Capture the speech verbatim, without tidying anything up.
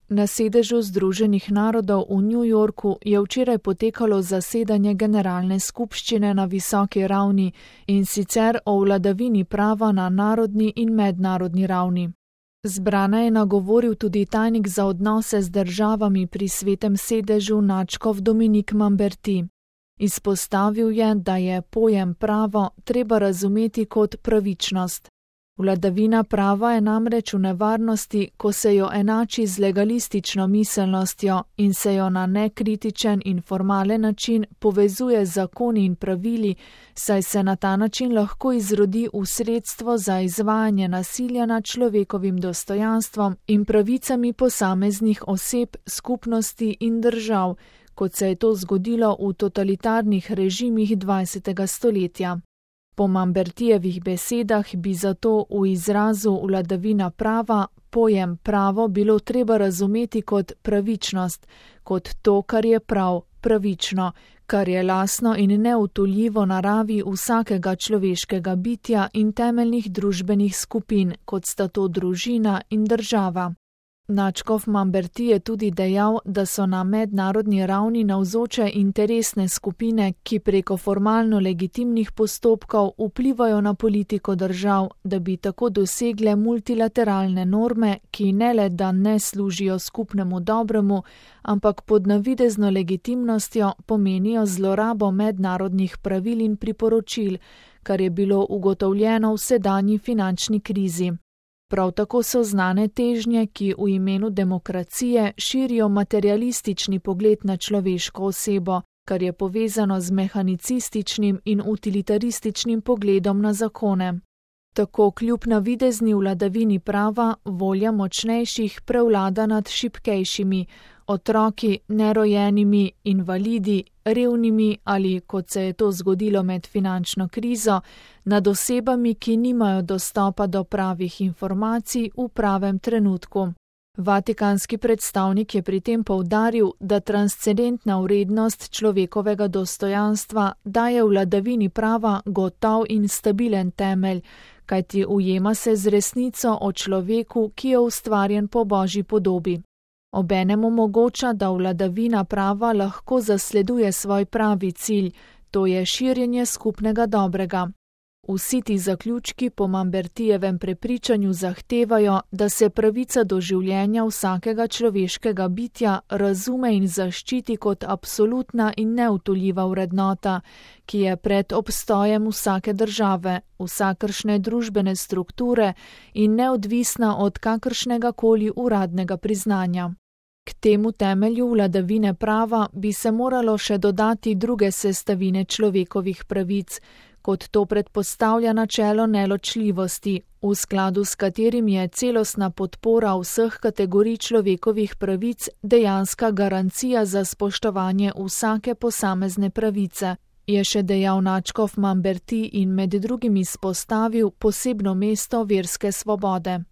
Na sedežu Združenih narodov v New Yorku je včeraj potekalo zasedanje generalne skupščine na visoki ravni, in sicer o vladavini prava na narodni in mednarodni ravni. Zbrane je nagovoril tudi tajnik za odnose z državami pri Svetem sedežu nadškof Dominik Mamberti. Izpostavil je, da je pojem pravo treba razumeti kot pravičnost. Vladavina prava je namreč v nevarnosti, ko se jo enači z legalistično miselnostjo in se jo na nekritičen in formalen način povezuje z zakoni in pravili, saj se na ta način lahko izrodi v sredstvo za izvajanje nasilja nad človekovim dostojanstvom in pravicami posameznih oseb, skupnosti in držav, kot se je to zgodilo v totalitarnih režimih dvajsetega stoletja. Po Mambertijevih besedah bi zato v izrazu vladavina prava pojem pravo bilo treba razumeti kot pravičnost, kot to, kar je prav, pravično, kar je lastno in neutoljivo naravi vsakega človeškega bitja in temeljnih družbenih skupin, kot sta to družina in država. Nadškof Mamberti je tudi dejal, da so na mednarodni ravni navzoče interesne skupine, ki preko formalno legitimnih postopkov vplivajo na politiko držav, da bi tako dosegle multilateralne norme, ki ne le da ne služijo skupnemu dobremu, ampak pod navidezno legitimnostjo pomenijo zlorabo mednarodnih pravil in priporočil, kar je bilo ugotovljeno v sedanji finančni krizi. Prav tako so znane težnje, ki v imenu demokracije širijo materialistični pogled na človeško osebo, kar je povezano z mehanicističnim in utilitarističnim pogledom na zakone. Tako kljub navidezni vladavini prava volja močnejših prevlada nad šibkejšimi, otroki, nerojenimi, invalidi, revnimi ali, kot se je to zgodilo med finančno krizo, nad osebami, ki nimajo dostopa do pravih informacij v pravem trenutku. Vatikanski predstavnik je pri tem poudaril, da transcendentna vrednost človekovega dostojanstva daje vladavini prava gotov in stabilen temelj, kajti ujema se z resnico o človeku, ki je ustvarjen po Božji podobi. Obenem omogoča, da vladavina prava lahko zasleduje svoj pravi cilj, to je širjenje skupnega dobrega. Vsi ti zaključki po Mambertijevem prepričanju zahtevajo, da se pravica do življenja vsakega človeškega bitja razume in zaščiti kot absolutna in neutoljiva vrednota, ki je pred obstojem vsake države, vsakršne družbene strukture in neodvisna od kakršnega koli uradnega priznanja. K temu temelju vladavine prava bi se moralo še dodati druge sestavine človekovih pravic, kot to predpostavlja načelo neločljivosti, v skladu s katerim je celostna podpora vseh kategorij človekovih pravic dejanska garancija za spoštovanje vsake posamezne pravice, je še dejal nadškof Mamberti in med drugim izpostavil posebno mesto verske svobode.